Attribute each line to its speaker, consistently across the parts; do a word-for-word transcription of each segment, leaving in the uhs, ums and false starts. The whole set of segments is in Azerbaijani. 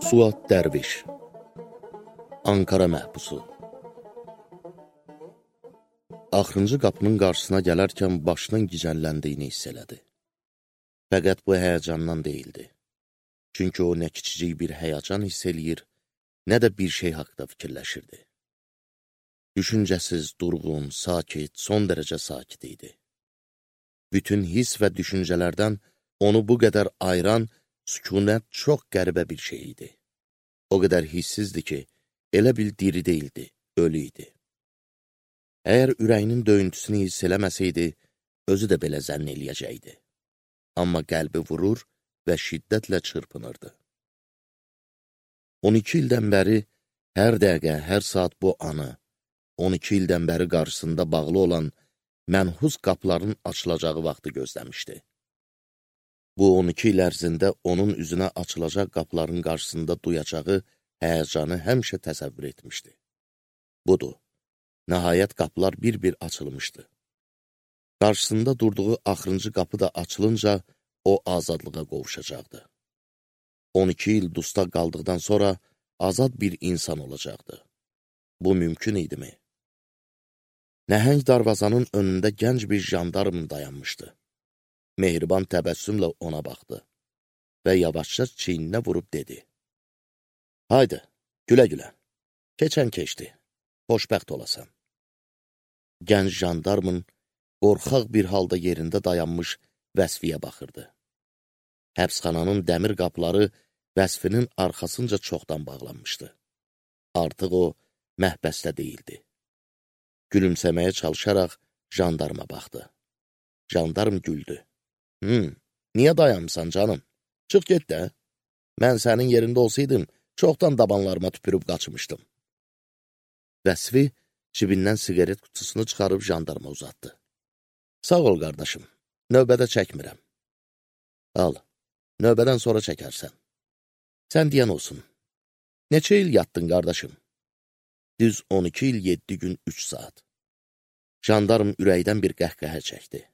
Speaker 1: Suat Dərviş Ankara məhbusu Axırıncı qapının qarşısına gələrkən başının gicəlləndiyini hiss elədi. Fəqət bu həyəcandan deyildi. Çünki o nə kiçicik bir həyəcan hiss eləyir, nə də bir şey haqda fikirləşirdi. Düşüncəsiz, durğun, sakit, son dərəcə sakit idi. Bütün hiss və düşüncələrdən onu bu qədər ayıran sükunət çox qəribə bir şey idi. O qədər hissizdi ki, elə bil diri deyildi, ölü idi. Əgər ürəyinin döyüntüsünü hiss eləməsəydi, özü də belə zənn eləyəcəkdi. Amma qəlbi vurur və şiddətlə çırpınırdı. on iki ildən bəri hər dəqiqə, hər saat bu anı, on iki ildən bəri qarşısında bağlı olan mənhus qapıların açılacağı vaxtı gözləmişdi. Bu on iki il ərzində onun üzünə açılacaq qapıların qarşısında duyacağı həyəcanı həmişə təsəvvür etmişdi. Budur, nəhayət qapılar bir-bir açılmışdı. Qarşısında durduğu axırıncı qapı da açılınca o azadlığa qovuşacaqdı. on iki il dustaq qaldıqdan sonra azad bir insan olacaqdı. Bu mümkün idimi? Nəhəng darvazanın önündə gənc bir jandarm dayanmışdı. Mehriban təbəssümlə ona baxdı və yavaşca çiyninə vurub dedi. Haydi, gülə-gülə, keçən keçdi, xoşbəxt olasan. Gənc jandarmın qorxaq bir halda yerində dayanmış Vəsfiyə baxırdı. Həbsxananın dəmir qapıları Vəsfinin arxasınca çoxdan bağlanmışdı. Artıq o, məhbəsdə deyildi. Gülümsəməyə çalışaraq jandarma baxdı. Jandarm güldü. Hmm, niyə dayanmışsan canım? Çıx get də. Mən sənin yerində olsaydım, çoxdan dabanlarıma tüpürüb qaçmışdım. Vəsfi cibindən siqaret qutusunu çıxarıb jandarma uzatdı. Sağ ol, qardaşım, növbədə çəkmirəm. Al, növbədən sonra çəkərsən. Sən deyən olsun. Neçə il yatdın, qardaşım? Düz on iki il, yeddi gün, üç saat. Jandarm ürəkdən bir qəhqəhə çəkdi.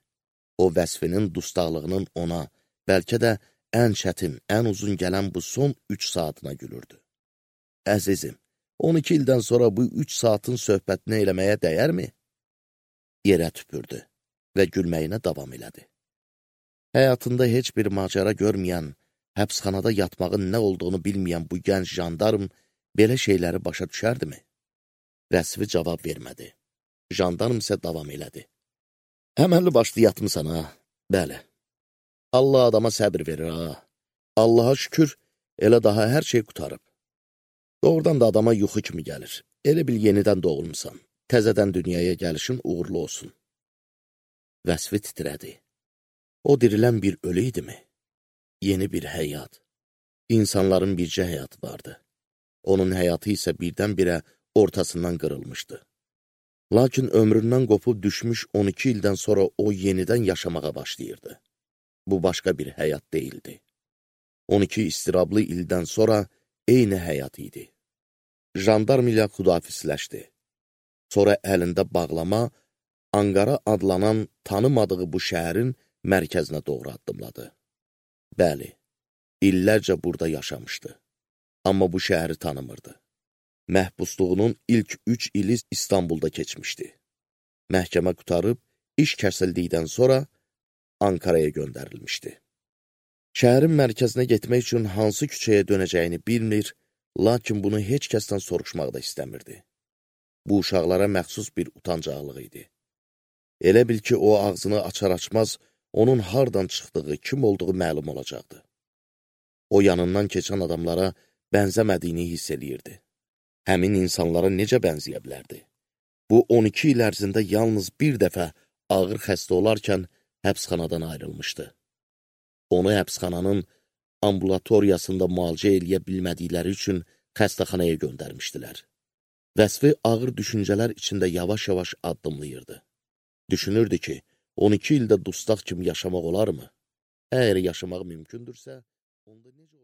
Speaker 1: O, Vəsfinin dustaqlığının ona, bəlkə də ən çətin, ən uzun gələn bu son üç saatına gülürdü. Əzizim, on iki ildən sonra bu üç saatin söhbətini eləməyə dəyərmi? Yerə tüpürdü və gülməyinə davam elədi. Həyatında heç bir macəra görməyən, həbsxanada yatmağın nə olduğunu bilməyən bu gənc jandarm belə şeyləri başa düşərdimi? Vəsfi cavab vermədi. Jandarm isə davam elədi. Əməlli başlı yatmısan, ha? Bəli. Allah adama səbir verir, ha? Allaha şükür, elə daha hər şey qutarıb. Doğrudan da adama yuxu kimi gəlir. Elə bil yenidən doğulmuşsan. Təzədən dünyaya gəlişin uğurlu olsun. Vəsfi titrədi. O dirilən bir ölü idimi? Yeni bir həyat. İnsanların bircə həyatı vardı. Onun həyatı isə birdən-birə ortasından qırılmışdı. Lakin ömründən qopub düşmüş on iki ildən sonra o yenidən yaşamağa başlayırdı. Bu başqa bir həyat deyildi. on iki istirablı ildən sonra eyni həyat idi. Jandarm ilə xudafisləşdi. Sonra əlində bağlama, Ankara adlanan tanımadığı bu şəhərin mərkəzinə doğru addımladı. Bəli, illərcə burada yaşamışdı. Amma bu şəhəri tanımırdı. Məhbusluğunun ilk üç ili İstanbulda keçmişdi. Məhkəmə qutarıb, iş kəsildikdən sonra Ankaraya göndərilmişdi. Şəhərin mərkəzinə getmək üçün hansı küçəyə dönəcəyini bilmir, lakin bunu heç kəsdən soruşmaq da istəmirdi. Bu uşaqlara məxsus bir utancaqlıq idi. Elə bil ki, o ağzını açar-açmaz, onun hardan çıxdığı, kim olduğu məlum olacaqdı. O yanından keçən adamlara bənzəmədiyini hiss eləyirdi. Həmin insanlara necə bənzəyə bilərdi? Bu on iki il ərzində yalnız bir dəfə ağır xəstə olarkən həbsxanadan ayrılmışdı. Onu həbsxananın ambulatoriyasında müalicə eləyə bilmədikləri üçün xəstəxanaya göndərmişdilər. Vəsfi ağır düşüncələr içində yavaş-yavaş addımlayırdı. Düşünürdü ki, on iki ildə dustaq kimi yaşamaq olarmı? Əgər yaşamaq mümkündürsə, onda necə